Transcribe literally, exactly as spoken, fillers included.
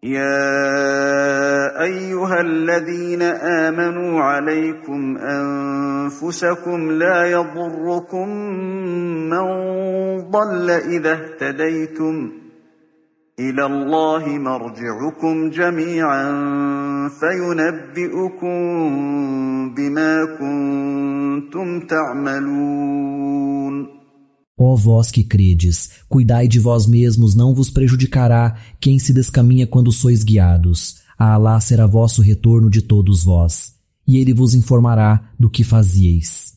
يا أيها الذين آمنوا عليكم أنفسكم لا يضركم من ضل إذا اهتديتم إلى الله مرجعكم جميعا فينبئكم بما كنتم تعملون. Ó vós que credes, cuidai de vós mesmos, não vos prejudicará quem se descaminha quando sois guiados. A Alá será vosso retorno de todos vós, e ele vos informará do que fazieis.